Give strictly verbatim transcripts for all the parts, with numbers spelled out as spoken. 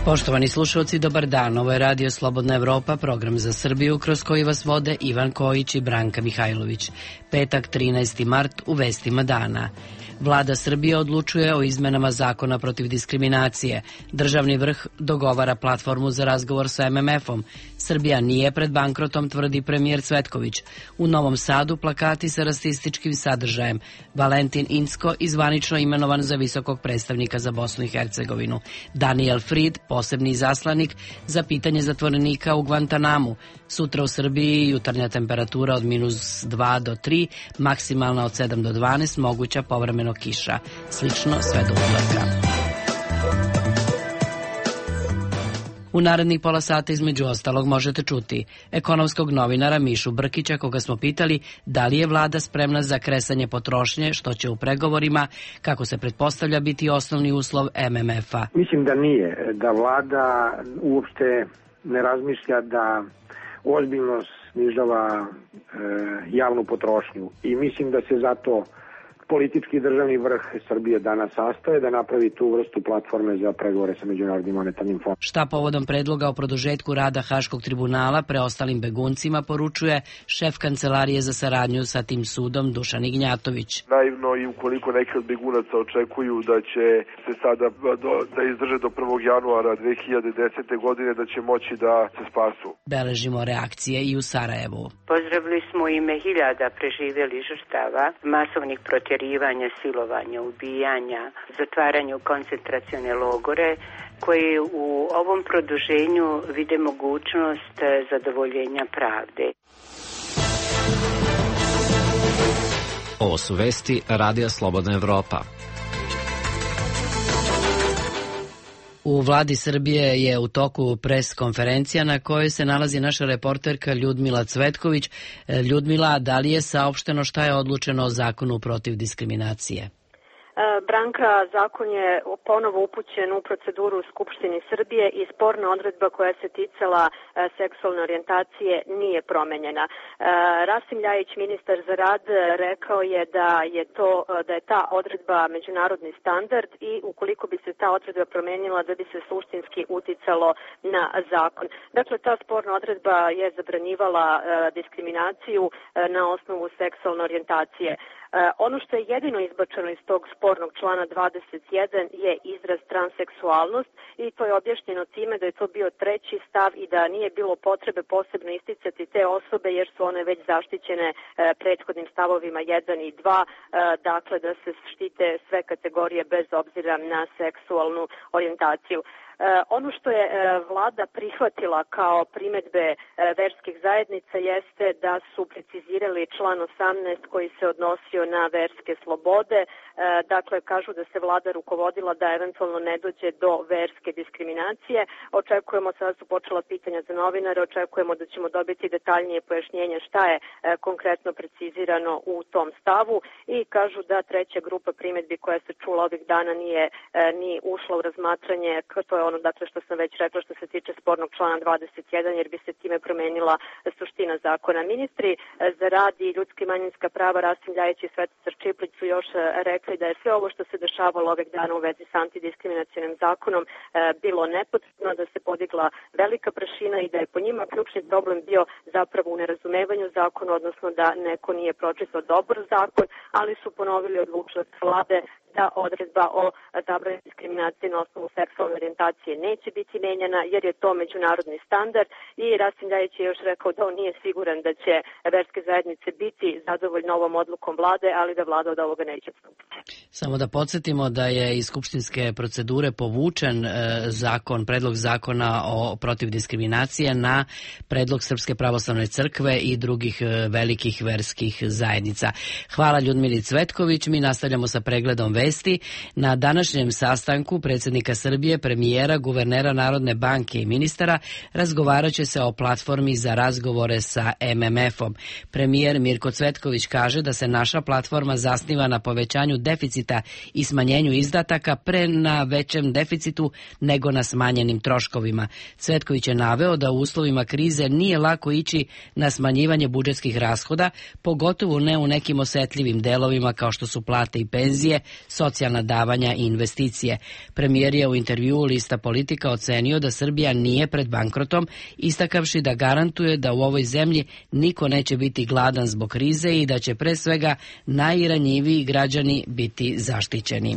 Poštovani slušalci, dobar dan. Ovo je Radio Slobodna Evropa, program za Srbiju kroz koji vas vode Ivan Kojić i Branka Mihajlović. Petak, trinaesti mart, u vestima dana. Vlada Srbije odlučuje o izmenama zakona protiv diskriminacije. Državni vrh dogovara platformu za razgovor sa em em efom. Srbija nije pred bankrotom, tvrdi premijer Cvetković. U Novom Sadu plakati sa rasističkim sadržajem. Valentin Incko izvanično imenovan za visokog predstavnika za Bosnu i Hercegovinu. Daniel Fried, posebni izaslanik za pitanje zatvorenika u Guantanamu. Sutra u Srbiji jutarnja temperatura od minus dva do tri, maksimalna od sedam do dvanaest, moguća povremeno kiša. Slično sve do utorka. U narednih pola sata između ostalog možete čuti ekonomskog novinara Mišu Brkića, koga smo pitali da li je vlada spremna za kresanje potrošnje, što će u pregovorima, kako se pretpostavlja, biti osnovni uslov em em efa. Mislim da nije, da vlada uopšte ne razmišlja da ozbiljno snižava e, javnu potrošnju i mislim da se zato politički državni vrh Srbije danas sastaje da napravi tu vrstu platforme za pregovore sa Međunarodnim monetarnim fondom. Šta povodom predloga o produžetku rada Haškog tribunala preostalim beguncima poručuje šef Kancelarije za saradnju sa tim sudom Dušan Ignjatović. Naivno i ukoliko neki od begunaca očekuju da će se sada do, da izdrže do prvog januara dve hiljade desete. godine da će moći da se spasu. Beležimo reakcije i u Sarajevu. Pozdravili smo ime hiljada preživjelih žrtava masovnih protjerivanja, silovanja, ubijanja, zatvaranja u koncentracione logore, koji u ovom produženju vide mogućnost zadovoljenja pravde. Ovo su vesti Radija Slobodna Evropa. U vladi Srbije je u toku pres konferencija na kojoj se nalazi naša reporterka Ljudmila Cvetković. Ljudmila, da li je saopšteno šta je odlučeno o zakonu protiv diskriminacije? Branka, zakon je ponovo upućen u proceduru u Skupštini Srbije i sporna odredba koja se ticala seksualne orijentacije nije promenjena. Rasim Ljajić, ministar za rad, rekao je da je to da je ta odredba međunarodni standard i ukoliko bi se ta odredba promenila da bi se suštinski uticalo na zakon. Dakle, ta sporna odredba je zabranjivala diskriminaciju na osnovu seksualne orijentacije. Ono što je jedino izbačeno iz tog spornog člana dvadeset jedan je izraz transseksualnost i to je objašnjeno time da je to bio treći stav i da nije bilo potrebe posebno isticati te osobe jer su one već zaštićene prethodnim stavovima jedan i dva, dakle da se štite sve kategorije bez obzira na seksualnu orijentaciju. Ono što je vlada prihvatila kao primedbe verskih zajednica jeste da su precizirali član osamnaest koji se odnosio na verske slobode. Dakle, kažu da se vlada rukovodila da eventualno ne dođe do verske diskriminacije. Očekujemo, sada su počela pitanja za novinare, očekujemo da ćemo dobiti detaljnije pojašnjenje šta je konkretno precizirano u tom stavu i kažu da treća grupa primedbi koja se čula ovih dana nije ni ušla u razmatranje, to je ono dakle što sam već rekla što se tiče spornog člana dvadeset jedan jer bi se time promenila suština zakona. Ministri za rad i ljudska i manjinska prava Rasim Ljajić i Svetica Čiplić su još rekli da je sve ovo što se dešavalo ovih dana u vezi sa antidiskriminacionim zakonom bilo nepotrebno, da se podigla velika prašina i da je po njima ključni problem bio zapravo u nerazumevanju zakona, odnosno da neko nije pročitao dobro zakon, ali su ponovili odlučnost vlade da odredba o zabrani diskriminacije na osnovu seksualne orijentacije neće biti menjana jer je to međunarodni standard i Rasim Ljajić je još rekao da on nije siguran da će verske zajednice biti zadovoljne ovom odlukom vlade, ali da vlada od ovoga neće odstupiti. Samo da podsjetimo da je iz skupštinske procedure povučen e, zakon, predlog zakona o protiv diskriminacije na predlog Srpske pravoslavne crkve i drugih e, velikih verskih zajednica. Hvala Ljudmili Cvetković, mi nastavljamo sa pregledom vesti. Na današnjem sastanku predsjednika Srbije, premijera, guvernera Narodne banke i ministara razgovarat će se o platformi za razgovore sa em em efom. Premijer Mirko Cvetković kaže da se naša platforma zasniva na povećanju deficita i smanjenju izdataka pre na većem deficitu nego na smanjenim troškovima. Cvetković je naveo da u uslovima krize nije lako ići na smanjivanje budžetskih rashoda, pogotovo ne u nekim osetljivim delovima kao što su plate i penzije, socijalna davanja i investicije. Premijer je u intervjuu lista lista Politika ocenio da Srbija nije pred bankrotom, istakavši da garantuje da u ovoj zemlji niko neće biti gladan zbog krize i da će pre svega najranjiviji građani biti zaštićeni.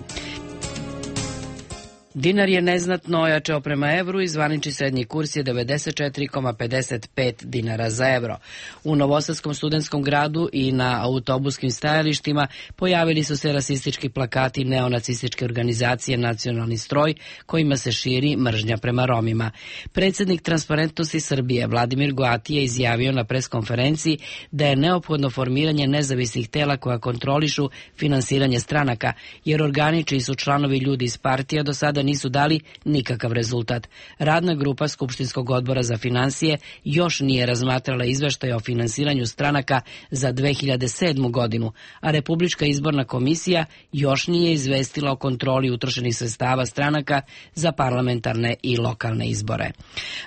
Dinar je neznatno ojačao prema evru i zvanični srednji kurs je devedeset četiri zarez pedeset pet dinara za evro. U Novosadskom studentskom gradu i na autobuskim stajalištima pojavili su se rasistički plakati neonacističke organizacije Nacionalni stroj kojima se širi mržnja prema Romima. Predsjednik Transparentnosti Srbije Vladimir Goati je izjavio na preskonferenciji da je neophodno formiranje nezavisnih tela koja kontrolišu finansiranje stranaka, jer organi čiji su članovi ljudi iz partija do sada nisu dali nikakav rezultat. Radna grupa Skupštinskog odbora za finansije još nije razmatrala izveštaj o finansiranju stranaka za dve hiljade sedmu godinu, a Republička izborna komisija još nije izvestila o kontroli utrošenih sredstava stranaka za parlamentarne i lokalne izbore.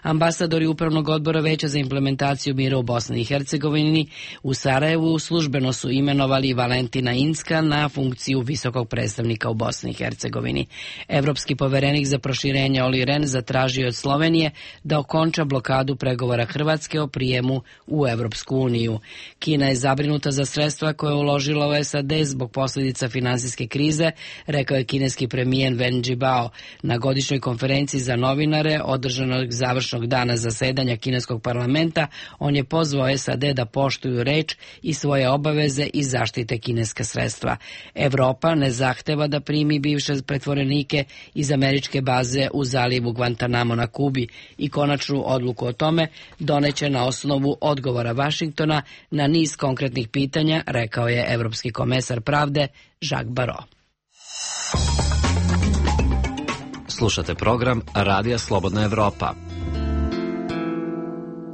Ambasadori Upravnog odbora Veća za implementaciju mira u Bosni i Hercegovini u Sarajevu službeno su imenovali Valentina Incka na funkciju visokog predstavnika u Bosni i Hercegovini. Evropski poverenik za proširenje Olli Rehn zatražio od Slovenije da okonča blokadu pregovora Hrvatske o prijemu u Evropsku uniju. Kina je zabrinuta za sredstva koje je uložila u S A D zbog posljedica finansijske krize, rekao je kineski premijer Wen Jiabao. Na godišnjoj konferenciji za novinare održanog završnog dana zasedanja kineskog parlamenta, on je pozvao S A D da poštuju reč i svoje obaveze i zaštite kineska sredstva. Evropa ne zahteva da primi bivše pretvorenike iz američke baze u zalivu Guantanamo na Kubi i konačnu odluku o tome doneće na osnovu odgovora Vašingtona na niz konkretnih pitanja, rekao je evropski komesar pravde Jacques Barrot. Slušate program Radija Slobodna Evropa.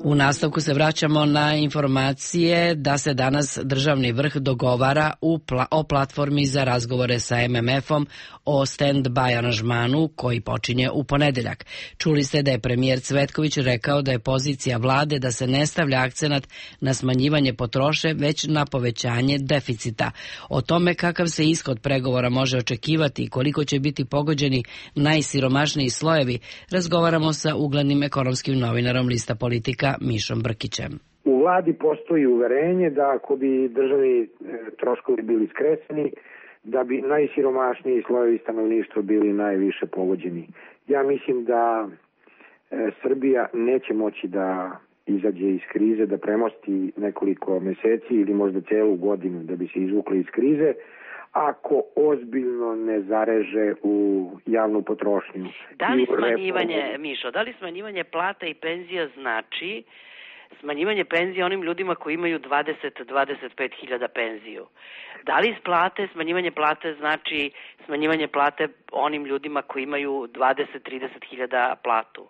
U nastavku se vraćamo na informacije da se danas državni vrh dogovara u pla- o platformi za razgovore sa M M F-om o stand-by aranžmanu koji počinje u ponedeljak. Čuli ste da je premijer Cvetković rekao da je pozicija vlade da se ne stavlja akcenat na smanjivanje potroše, već na povećanje deficita. O tome kakav se ishod pregovora može očekivati i koliko će biti pogođeni najsiromašniji slojevi, razgovaramo sa uglednim ekonomskim novinarom lista Politika Mišom Brkićem. U vladi postoji uverenje da ako bi državni troškovi bili skresani, da bi najsiromašniji slojevi stanovništva bili najviše pogođeni. Ja mislim da e, Srbija neće moći da izađe iz krize, da premosti nekoliko meseci ili možda celu godinu da bi se izvukli iz krize, ako ozbiljno ne zareže u javnu potrošnju. Da li smanjivanje, Mišo, da li smanjivanje plata i penzija znači smanjivanje penzija onim ljudima koji imaju dvadeset do dvadeset pet hiljada penziju? Da li isplate, smanjivanje plate znači smanjivanje plate onim ljudima koji imaju dvadeset do trideset hiljada platu?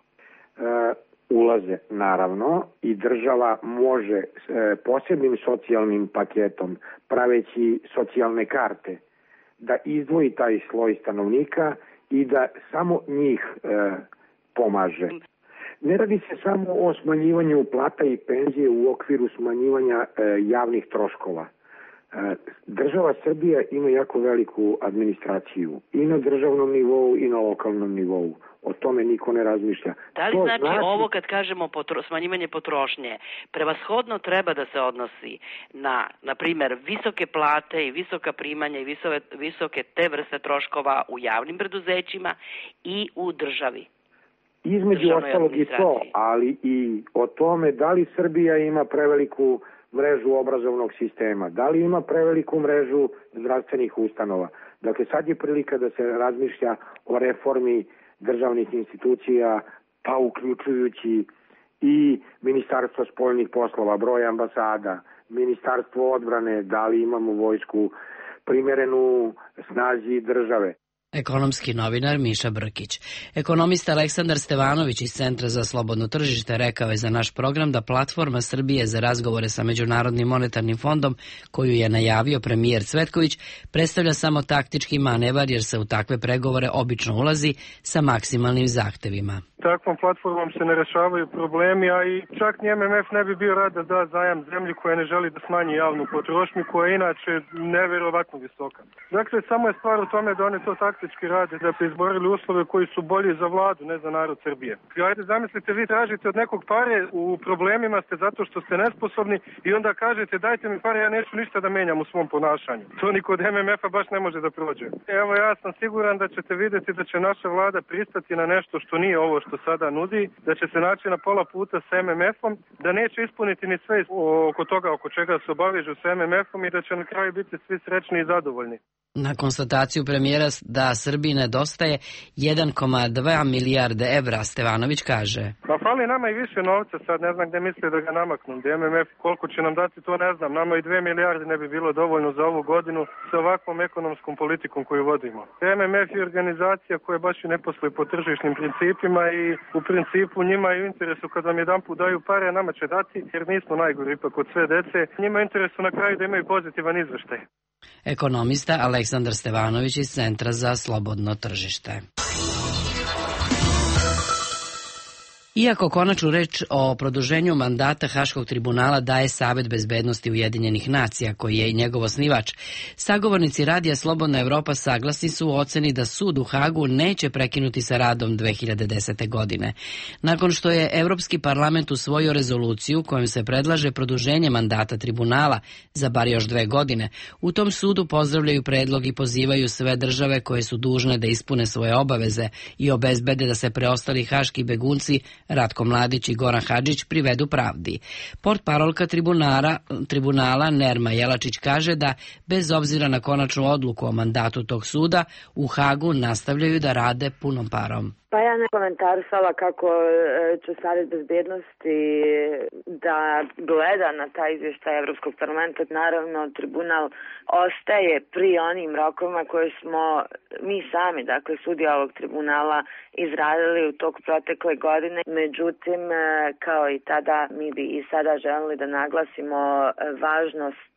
E, ulaze, naravno, i država može e, posebnim socijalnim paketom, praveći socijalne karte, da izdvoji taj sloj stanovnika i da samo njih e, pomaže. Ne radi se samo o smanjivanju plata i penzije u okviru smanjivanja e, javnih troškova. E, država Srbija ima jako veliku administraciju i na državnom nivou i na lokalnom nivou. O tome niko ne razmišlja. Da li znači, znači ovo kad kažemo potro, smanjivanje potrošnje, prevashodno treba da se odnosi na, na primjer, visoke plate i visoka primanja i visoke, visoke te vrste troškova u javnim preduzećima i u državi? Između ostalog i to, ali i o tome da li Srbija ima preveliku mrežu obrazovnog sistema, da li ima preveliku mrežu zdravstvenih ustanova. Dakle, sad je prilika da se razmišlja o reformi državnih institucija, pa uključujući i Ministarstvo spoljnih poslova, broj ambasada, Ministarstvo odbrane, da li imamo vojsku primerenu snazi države. Ekonomski novinar Miša Brkić. Ekonomista Aleksandar Stevanović iz Centra za slobodno tržište rekao je za naš program da platforma Srbije za razgovore sa Međunarodnim monetarnim fondom, koju je najavio premijer Cvetković, predstavlja samo taktički manevar jer se u takve pregovore obično ulazi sa maksimalnim zahtevima. Takvom platformom se ne rešavaju problemi, a i čak ni M M F ne bi bio rad da da zajam zemlji koja ne želi da smanji javnu potrošnju, koja je inače neverovatno visoka. Dakle, samo je stvar u tome da oni to taktički rade, da bi izborili uslove koji su bolji za vladu, ne za narod Srbije. Ajde, zamislite, vi tražite od nekog pare, u problemima ste zato što ste nesposobni i onda kažete dajte mi pare, ja neću ništa da menjam u svom ponašanju. To niko od M M F-a baš ne može da prođe. Evo, ja sam siguran da ćete vidjeti da će naša vlada pristati na nešto što nije ovo što sada nudi, da će se naći na pola puta sa M M F-om, da neće ispuniti ni sve oko toga oko čega se obavežu sa M M F-om i da će na kraju biti svi srećni i zadovoljni. Na konstataciju premijera da Srbiji nedostaje jedan zarez dva milijarde evra, Stevanović kaže. Pa fali nama i više novca, sad ne znam gde misle da ga namaknu. Da M M F koliko će nam dati, to ne znam. Nama i dve milijarde ne bi bilo dovoljno za ovu godinu sa ovakvom ekonomskom politikom koju vodimo. M M F je organizacija koja baš i ne posluje po tržišnim principima i u principu njima je u interesu kad vam jedan put daju pare, a nama će dati, jer nismo najgori ipak od sve dece. Njima je interesu na kraju da imaju pozitivan izveštaj. Ekonomista Aleksandar Stevanović iz Centra za slobodno tržište. Iako konačnu reč o produženju mandata Haškog tribunala daje Savet bezbednosti Ujedinjenih nacija, koji je i njegov osnivač, sagovornici Radija Slobodna Evropa saglasni su u oceni da sud u Hagu neće prekinuti sa radom dve hiljade desete. godine. Nakon što je Evropski parlament usvojio rezoluciju kojom se predlaže produženje mandata tribunala za bar još dve godine, u tom sudu pozdravljaju predlog i pozivaju sve države koje su dužne da ispune svoje obaveze i obezbede da se preostali haški begunci Ratko Mladić i Goran Hadžić privedu pravdi. Portparolka tribunala, tribunala Nerma Jelačić kaže da, bez obzira na konačnu odluku o mandatu tog suda, u Hagu nastavljaju da rade punom parom. Pa ja ne komentarisala kako će Savjet bezbednosti da gleda na taj izvještaj Evropskog parlamenta. Naravno, tribunal ostaje pri onim rokovima koje smo mi sami, dakle sudija ovog tribunala, izradili u tog protekle godine. Međutim, kao i tada, mi bi i sada želeli da naglasimo važnost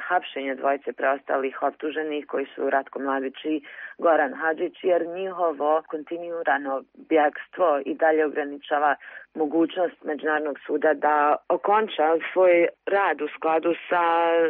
hapšenja dvojice preostalih optuženih koji su Ratko Mladić i Goran Hadžić, jer njihovo kontinuirano bjegstvo i dalje ograničava mogućnost Međunarodnog suda da okonča svoj rad u skladu sa e,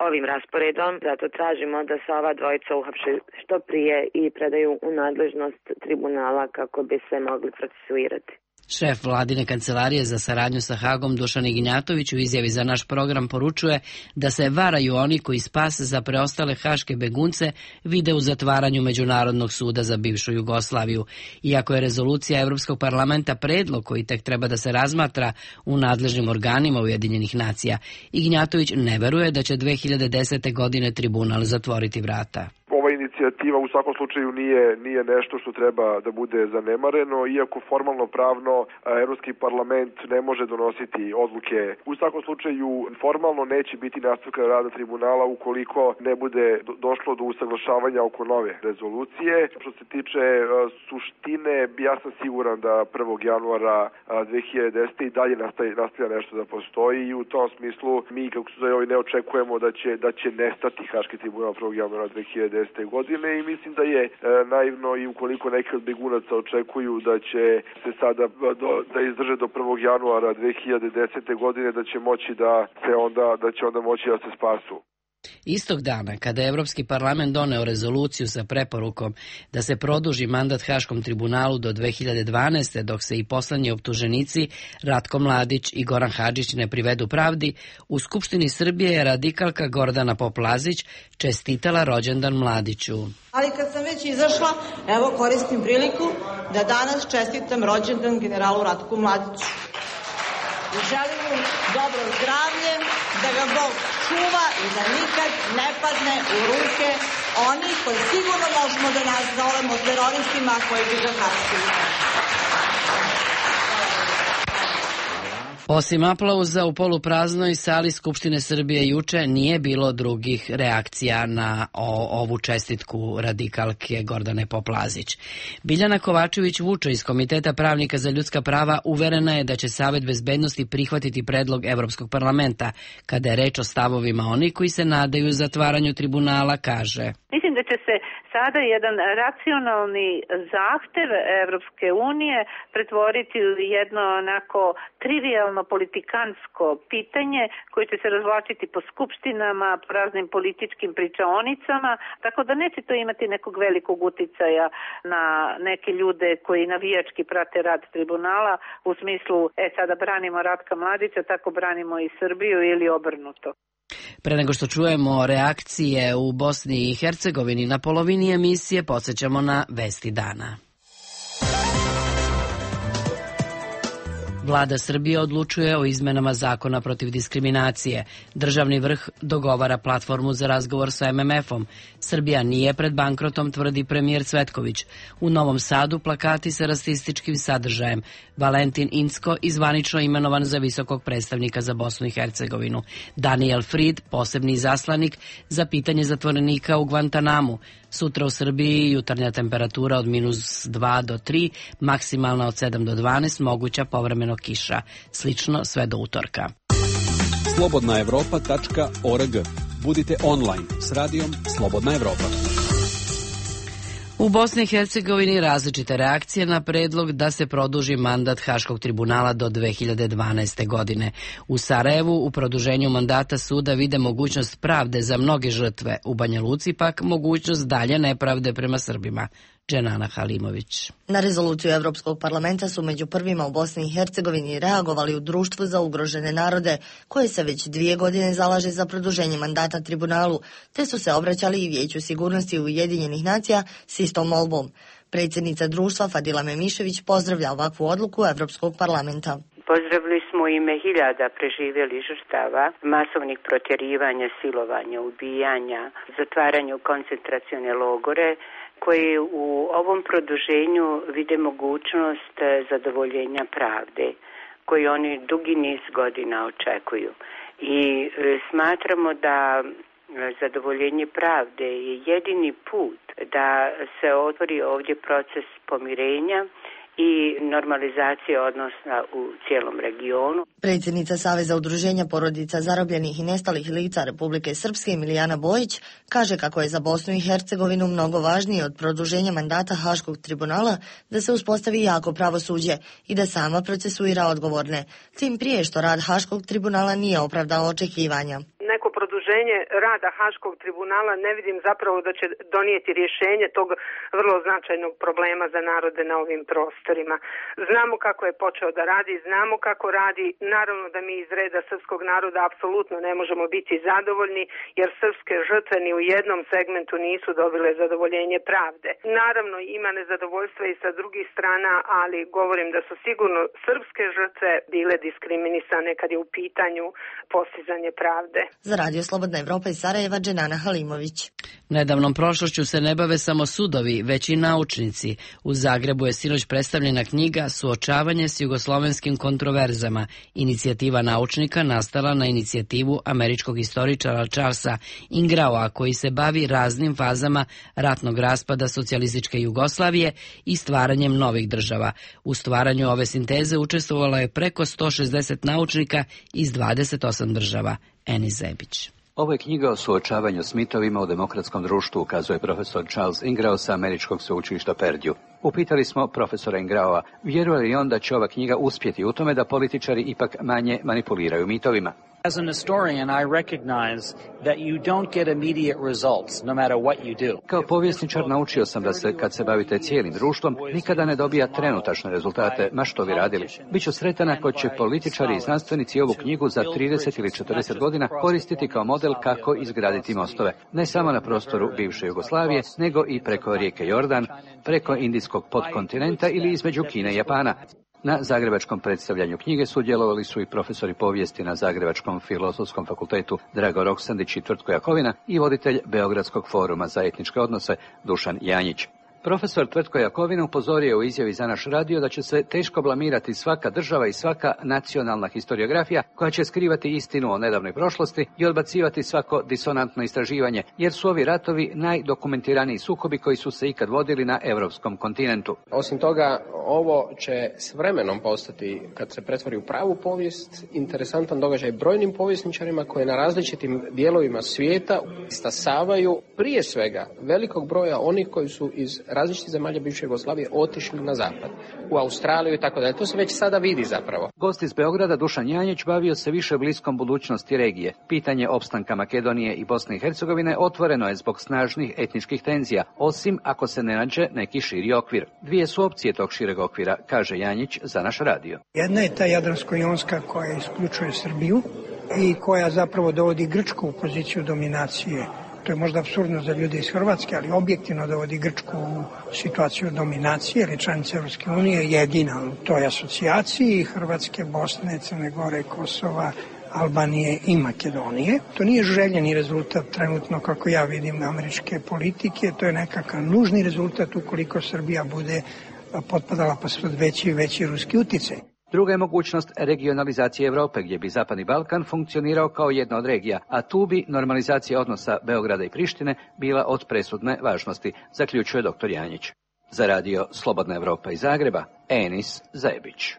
ovim rasporedom. Zato tražimo da se ova dvojica uhapše što prije i predaju u nadležnost tribunala kako bi se mogli procesuirati. Šef vladine kancelarije za saradnju sa Hagom Dušan Ignjatović u izjavi za naš program poručuje da se varaju oni koji spas za preostale haške begunce vide u zatvaranju Međunarodnog suda za bivšu Jugoslaviju. Iako je rezolucija Evropskog parlamenta predlog koji tek treba da se razmatra u nadležnim organima Ujedinjenih nacija, Ignjatović ne veruje da će dve hiljade desete. godine tribunal zatvoriti vrata. Ova inicijativa u svakom slučaju nije nije nešto što treba da bude zanemareno, iako formalno pravno Evropski parlament ne može donositi odluke. U svakom slučaju formalno neće biti nastavka rada tribunala ukoliko ne bude došlo do usaglašavanja oko nove rezolucije. Što se tiče suštine, ja sam siguran da prvog januara dve hiljade desete. i dalje nastavlja nešto da postoji i u tom smislu mi kako se zove ne očekujemo da će da će nestati Haški tribunal prvog januara dve hiljade desete. godine i mislim da je e, naivno i ukoliko neki od begunaca očekuju da će se sada do, da izdrže do prvog januara dve hiljade desete. godine da će moći da se onda da će onda moći da se spasu. Istog dana, kada je Evropski parlament doneo rezoluciju sa preporukom da se produži mandat Haškom tribunalu do dve hiljade dvanaeste. dok se i poslednji optuženici Ratko Mladić i Goran Hadžić ne privedu pravdi, u Skupštini Srbije je radikalka Gordana Poplazić čestitala rođendan Mladiću. Ali kad sam već izašla, evo koristim priliku da danas čestitam rođendan generalu Ratku Mladiću. I želim mu dobro zdravlje, da ga Bog čuva i da nikad ne padne u ruke oni koji sigurno možemo da nas zovemo teroristima koji bi ga hapsili. Osim aplauza u polupraznoj sali Skupštine Srbije juče nije bilo drugih reakcija na o, ovu čestitku radikalke Gordane Poplazić. Biljana Kovačević-Vučo iz Komiteta pravnika za ljudska prava uverena je da će Savet bezbednosti prihvatiti predlog Evropskog parlamenta. Kada je reč o stavovima oni koji se nadaju zatvaranju tribunala, kaže: Mislim da će se sada jedan racionalni zahtev Evropske unije pretvoriti u jedno onako trivialno politikansko pitanje koje će se razvlačiti po skupštinama, po raznim političkim pričaonicama, tako da neće to imati nekog velikog uticaja na neke ljude koji navijački prate rad tribunala u smislu, e sada branimo Ratka Mladića, tako branimo i Srbiju ili obrnuto. Pre nego što čujemo reakcije u Bosni i Hercegovini na polovini emisije, podsjećamo na vesti dana. Vlada Srbije odlučuje o izmenama zakona protiv diskriminacije. Državni vrh dogovara platformu za razgovor sa em em efom. Srbija nije pred bankrotom, tvrdi premijer Cvetković. U Novom Sadu plakati sa rasističkim sadržajem. Valentin Incko izvanično imenovan za visokog predstavnika za Bosnu i Hercegovinu. Daniel Fried, posebni izaslanik za pitanje zatvorenika u Guantanamu. Sutra u Srbiji jutarnja temperatura od minus dva do tri, maksimalna od sedam do dvanaest, moguća povremeno kiša. Slično sve do utorka. slobodna evropa tačka org. Budite online s radijom Slobodna Evropa. U Bosni i Hercegovini različite reakcije na predlog da se produži mandat Haškog tribunala do dve hiljade dvanaeste. godine. U Sarajevu u produženju mandata suda vide mogućnost pravde za mnoge žrtve, u Banja Luci pak mogućnost dalje nepravde prema Srbima. Dženana Halimović. Na rezoluciju Evropskog parlamenta su među prvima u Bosni i Hercegovini reagovali u Društvu za ugrožene narode, koje se već dvije godine zalaže za produženje mandata tribunalu, te su se obraćali i Vijeću sigurnosti Ujedinjenih nacija s istom molbom. Predsjednica društva Fadila Memišević pozdravlja ovakvu odluku Evropskog parlamenta. Pozdravili smo ime hiljada preživjelih žrtava, masovnih protjerivanja, silovanja, ubijanja, zatvaranja u koncentracione logore, koji u ovom produženju vide mogućnost zadovoljenja pravde, koji oni dugi niz godina očekuju. I smatramo da zadovoljenje pravde je jedini put da se otvori ovdje proces pomirenja i normalizacije odnosa u cijelom regionu. Predsjednica Saveza udruženja porodica zarobljenih i nestalih lica Republike Srpske Milijana Bojić kaže kako je za Bosnu i Hercegovinu mnogo važnije od produženja mandata Haškog tribunala da se uspostavi jako pravosuđe i da sama procesuira odgovorne, tim prije što rad Haškog tribunala nije opravdao očekivanja. Neko produženje rada Haškog tribunala ne vidim zapravo da će donijeti rješenje tog vrlo značajnog problema za narode na ovim prostorima. Znamo kako je počeo da radi, znamo kako radi, naravno da mi iz reda srpskog naroda apsolutno ne možemo biti zadovoljni, jer srpske žrtve ni u jednom segmentu nisu dobile zadovoljenje pravde. Naravno ima nezadovoljstva i sa drugih strana, ali govorim da su sigurno srpske žrtve bile diskriminisane kad je u pitanju postizanje pravde. Za Radio Slobodna Evropa iz Sarajeva, Dženana Halimović. Nedavnom prošlošću se ne bave samo sudovi, već i naučnici. U Zagrebu je sinoć predstavljena knjiga Suočavanje s jugoslovenskim kontroverzama. Inicijativa naučnika nastala na inicijativu američkog istoričara Charlesa Ingraua, koji se bavi raznim fazama ratnog raspada socijalističke Jugoslavije i stvaranjem novih država. U stvaranju ove sinteze učestvovalo je preko sto šezdeset naučnika iz dvadeset osam država. Eni Zebić. Ovo je knjiga o suočavanju s mitovima u demokratskom društvu, ukazuje profesor Charles Ingrao sa američkog sveučilišta Perdue. Upitali smo profesora Ingraova, vjeruje li on da će ova knjiga uspjeti u tome da političari ipak manje manipuliraju mitovima. As an historian, I recognize that you don't get immediate results, no matter what you do. Kao povjesničar naučio sam da se, kad se bavite cijelim društvom, nikada ne dobija trenutačne rezultate, ma što vi radili. Biću sretan ako će političari i znanstvenici ovu knjigu za trideset ili četrdeset godina koristiti kao model kako izgraditi mostove. Ne samo na prostoru bivše Jugoslavije, nego i preko rijeke Jordan, preko indijskog podkontinenta ili između Kine i Japana. Na zagrebačkom predstavljanju knjige sudjelovali su i profesori povijesti na Zagrebačkom filozofskom fakultetu Drago Roksandić i Tvrtko Jakovina i voditelj Beogradskog foruma za etničke odnose Dušan Janjić. Profesor Tvrtko Jakovina upozorio u izjavi za naš radio da će se teško blamirati svaka država i svaka nacionalna historiografija koja će skrivati istinu o nedavnoj prošlosti i odbacivati svako disonantno istraživanje, jer su ovi ratovi najdokumentiraniji sukobi koji su se ikad vodili na europskom kontinentu. Osim toga, ovo će s vremenom postati, kad se pretvori u pravu povijest, interesantan događaj brojnim povjesničarima koji na različitim dijelovima svijeta stasavaju prije svega velikog broja onih koji su iz različitih zemalja bivše Jugoslavije otišli na zapad, u Australiju i tako dalje. To se već sada vidi zapravo. Gost iz Beograda Dušan Janjić bavio se više bliskom budućnosti regije. Pitanje opstanka Makedonije i Bosne i Hercegovine otvoreno je zbog snažnih etničkih tenzija, osim ako se ne nađe neki širi okvir. Dvije su opcije tog šireg okvira, kaže Janjić za naš radio. Jedna je ta jadransko-jonska koja isključuje Srbiju i koja zapravo dovodi Grčku u poziciju dominacije. To je možda apsurdno za ljude iz Hrvatske, ali objektivno dovodi Grčku u situaciju dominacije, jer je članica Europske unije jedina u toj asocijaciji, Hrvatske, Bosne, Crne Gore, Kosova, Albanije i Makedonije. To nije željeni rezultat trenutno, kako ja vidim, američke politike, to je nekakav nužni rezultat ukoliko Srbija bude potpadala pod veći i veći ruski uticaj. Druga je mogućnost regionalizacije Europe, gdje bi Zapadni Balkan funkcionirao kao jedna od regija, a tu bi normalizacija odnosa Beograda i Prištine bila od presudne važnosti, zaključuje doktor Janjić. Za radio Slobodna Evropa iz Zagreba, Enis Zajebić.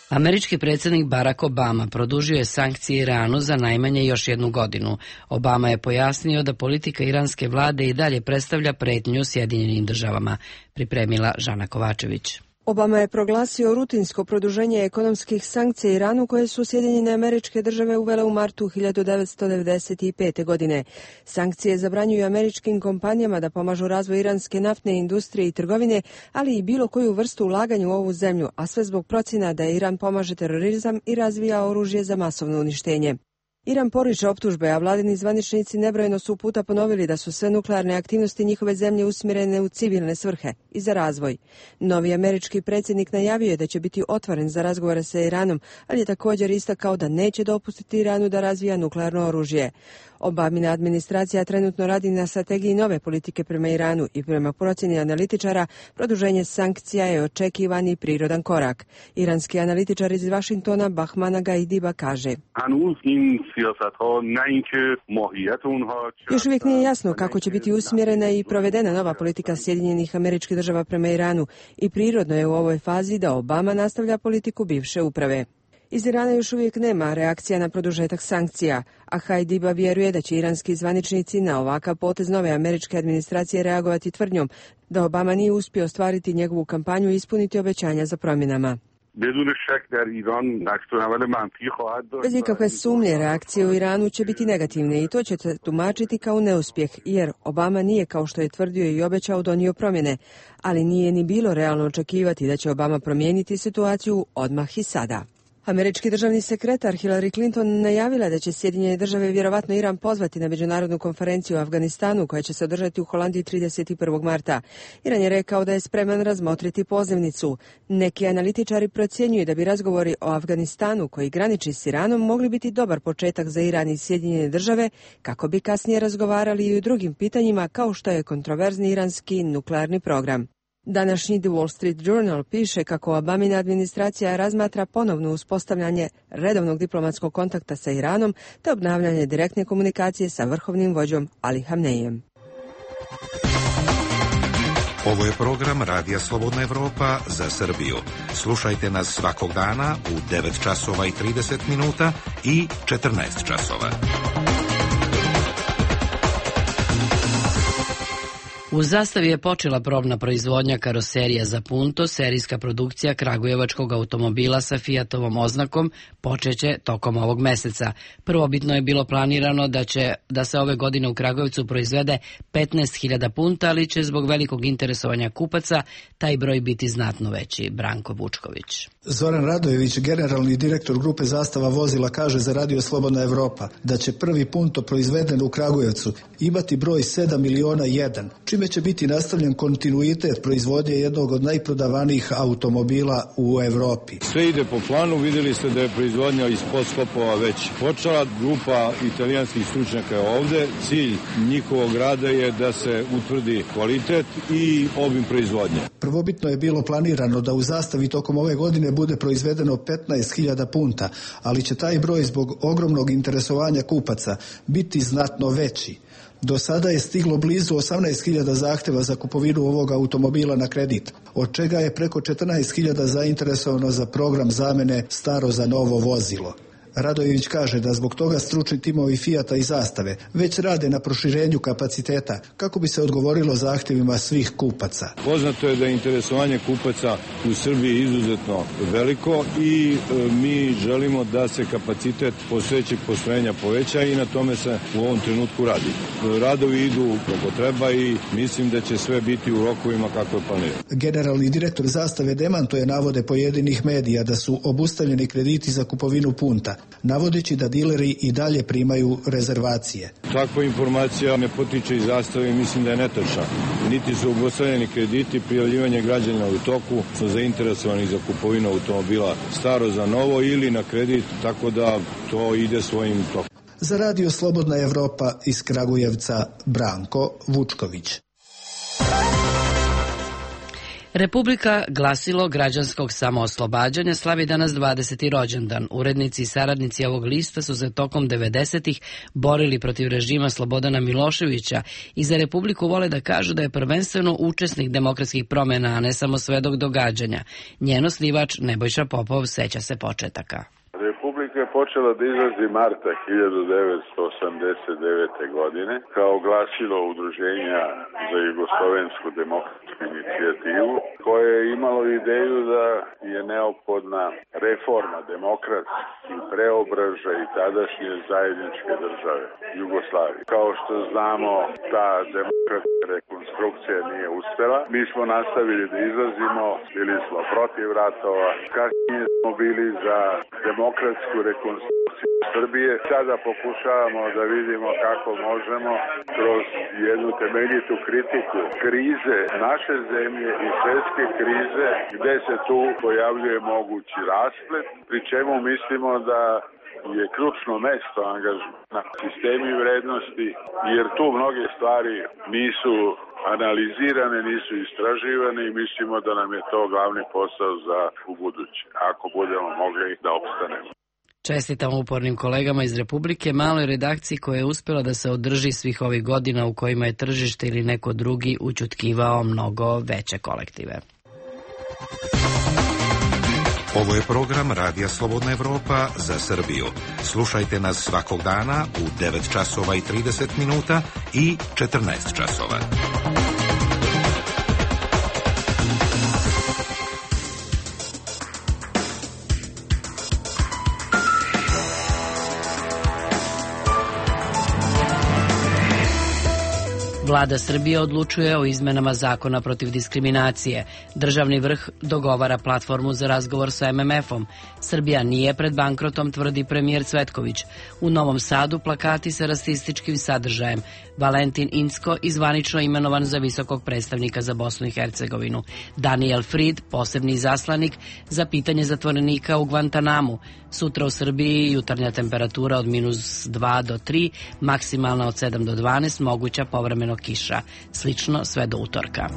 Američki predsjednik Barack Obama produžio je sankcije Iranu za najmanje još jednu godinu. Obama je pojasnio da politika iranske vlade i dalje predstavlja pretnju Sjedinjenim državama, pripremila Žana Kovačević. Obama je proglasio rutinsko produženje ekonomskih sankcija Iranu koje su Sjedinjene Američke Države uvele u martu hiljadu devetsto devedeset pete. godine. Sankcije zabranjuju američkim kompanijama da pomažu razvoj iranske naftne industrije i trgovine, ali i bilo koju vrstu ulaganja u ovu zemlju, a sve zbog procjena da Iran pomaže terorizam i razvija oružje za masovno uništenje. Iran poriče optužbe, a vladini zvaničnici nebrojeno su puta ponovili da su sve nuklearne aktivnosti njihove zemlje usmjerene u civilne svrhe i za razvoj. Novi američki predsjednik najavio je da će biti otvoren za razgovore sa Iranom, ali je također istakao da neće dopustiti Iranu da razvija nuklearno oružje. Obamina administracija trenutno radi na strategiji nove politike prema Iranu i prema procjeni analitičara produženje sankcija je očekivani prirodan korak. Iranski analitičar iz Vašingtona Bahmana Gaidiba kaže: Još uvijek nije jasno kako će biti usmjerena i provedena nova politika Sjedinjenih Američkih Država prema Iranu i prirodno je u ovoj fazi da Obama nastavlja politiku bivše uprave. Iz Irana još uvijek nema reakcija na produžetak sankcija, a Hajdiba vjeruje da će iranski zvaničnici na ovakav potez nove američke administracije reagovati tvrdnjom da Obama nije uspio ostvariti njegovu kampanju i ispuniti obećanja za promjenama. Bez ikakve sumnje reakcije u Iranu će biti negativne i to će se tumačiti kao neuspjeh, jer Obama nije, kao što je tvrdio i obećao, donio promjene, ali nije ni bilo realno očekivati da će Obama promijeniti situaciju odmah i sada. Američki državni sekretar Hillary Clinton najavila da će Sjedinjene Države vjerovatno Iran pozvati na međunarodnu konferenciju u Afganistanu koja će se održati u Holandiji trideset prvog marta. Iran je rekao da je spreman razmotriti pozivnicu. Neki analitičari procjenjuju da bi razgovori o Afganistanu koji graniči s Iranom mogli biti dobar početak za Iran i Sjedinjene Države kako bi kasnije razgovarali i o drugim pitanjima kao što je kontroverzni iranski nuklearni program. Današnji The Wall Street Journal piše kako Obamina administracija razmatra ponovno uspostavljanje redovnog diplomatskog kontakta sa Iranom te obnavljanje direktne komunikacije sa vrhovnim vođom Ali Hamneijem. Ovo je program Radija Slobodna Evropa za Srbiju. Slušajte nas svakog dana u devet časova i trideset minuta i četrnaest časova. U Zastavi je počela probna proizvodnja karoserija za Punto, serijska produkcija kragujevačkog automobila sa Fiatovom oznakom počeće tokom ovog meseca. Prvobitno je bilo planirano da će da se ove godine u Kragujevcu proizvede petnaest hiljada Punta, ali će zbog velikog interesovanja kupaca taj broj biti znatno veći. Branko Vučković. Zoran Radojević, generalni direktor grupe Zastava vozila, kaže za Radio Slobodna Evropa da će prvi Punto proizveden u Kragujevcu imati broj sedam miliona jedan, čime čime će biti nastavljen kontinuitet proizvodnje jednog od najprodavanijih automobila u Evropi. Sve ide po planu, vidjeli ste da je proizvodnja iz podskopova već počela, grupa italijanskih stručnjaka je ovde, cilj njihovog rada je da se utvrdi kvalitet i obim proizvodnje. Prvobitno je bilo planirano da u Zastavi tokom ove godine bude proizvedeno petnaest hiljada punta, ali će taj broj zbog ogromnog interesovanja kupaca biti znatno veći. Do sada je stiglo blizu osamnaest hiljada zahtjeva za kupovinu ovog automobila na kredit, od čega je preko četrnaest hiljada zainteresovano za program zamene staro za novo vozilo. Radojević kaže da zbog toga stručni timovi Fijata i Zastave već rade na proširenju kapaciteta kako bi se odgovorilo zahtjevima svih kupaca. Poznato je da je interesovanje kupaca u Srbiji izuzetno veliko i e, mi želimo da se kapacitet postojećeg postrojenja poveća i na tome se u ovom trenutku radi. Radovi idu kako treba i mislim da će sve biti u rokovima kako je planirano. Generalni direktor Zastave demantuje navode pojedinih medija da su obustavljeni krediti za kupovinu punta, navodeći da dileri i dalje primaju rezervacije. Takva informacija ne potiče iz Zastave i mislim da je netačna. Niti su obustavljeni krediti, prijavljivanje građana u toku, su zainteresovani za kupovinu automobila staro za novo ili na kredit, tako da to ide svojim tokom. Za Radio Slobodna Evropa iz Kragujevca, Branko Vučković. Republika Glasilo građanskog samooslobađanja slavi danas dvadeseti rođendan. Urednici i saradnici ovog lista su se tokom devedesetih borili protiv režima Slobodana Miloševića i za Republiku vole da kažu da je prvenstveno učesnik demokratskih promjena, a ne samo svedok događanja. Njen osnivač Nebojša Popov seća se početaka. Republika je počela da izlazi marta hiljadu devetsto osamdeset devete. godine kao glasilo udruženja za jugoslovensku demokratsku inicijativu koje je imalo ideju da je neophodna reforma demokratski preobražaj i tadašnje zajedničke države Jugoslavije. Kao što znamo, ta demokratska rekonstrukcija nije uspela. Mi smo nastavili da izlazimo, bili smo protiv ratova, kasnije smo bili za demokratsku rekonstrukciju Srbije. Sada pokušavamo da vidimo kako možemo kroz jednu temeljitu kritiku krize naše zemlje i svetske krize gde se tu pojavljuje mogući rasplet, pri čemu mislimo da je ključno mesto angažmana sistemi vrednosti, jer tu mnoge stvari nisu analizirane, nisu istraživane i mislimo da nam je to glavni posao za ubuduće, ako budemo mogli da opstanemo. Čestitam upornim kolegama iz Republike, maloj redakciji koja je uspjela da se održi svih ovih godina u kojima je tržište ili neko drugi ućutkivao mnogo veće kolektive. Ovo je program Radija Slobodna Evropa za Srbiju. Slušajte nas svakog dana u devet časova i trideset minuta i četrnaest časova. Vlada Srbije odlučuje o izmenama zakona protiv diskriminacije. Državni vrh dogovara platformu za razgovor sa em em efom. Srbija nije pred bankrotom, tvrdi premijer Cvetković. U Novom Sadu plakati sa rasističkim sadržajem. Valentin Incko izvanično imenovan za visokog predstavnika za Bosnu i Hercegovinu. Daniel Fried, posebni izaslanik za pitanje zatvorenika u Guantanamu. Sutra u Srbiji jutarnja temperatura od minus dva do tri, maksimalna od sedam do dvanaest, moguća povremeno kiša. Slično sve do utorka.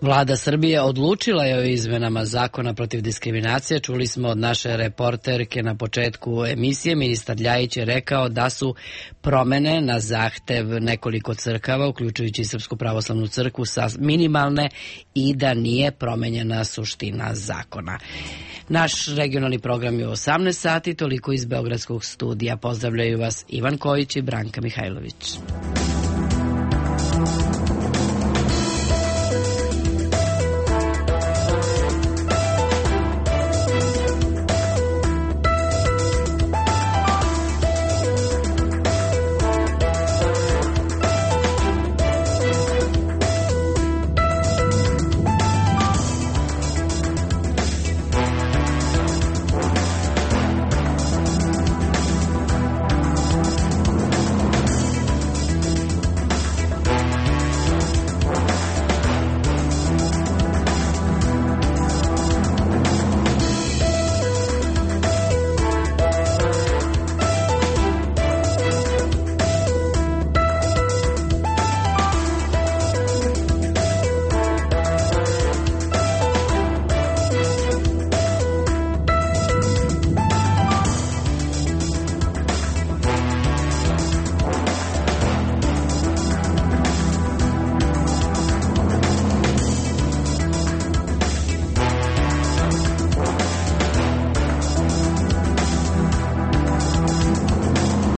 Vlada Srbije odlučila je o izmenama zakona protiv diskriminacije. Čuli smo od naše reporterke na početku emisije. Ministar Ljajić je rekao da su promene na zahtev nekoliko crkava, uključujući i Srpsku pravoslavnu crkvu, minimalne i da nije promenjena suština zakona. Naš regionalni program je u osamnaest sati, toliko iz Beogradskog studija. Pozdravljaju vas Ivan Kojić i Branka Mihajlović.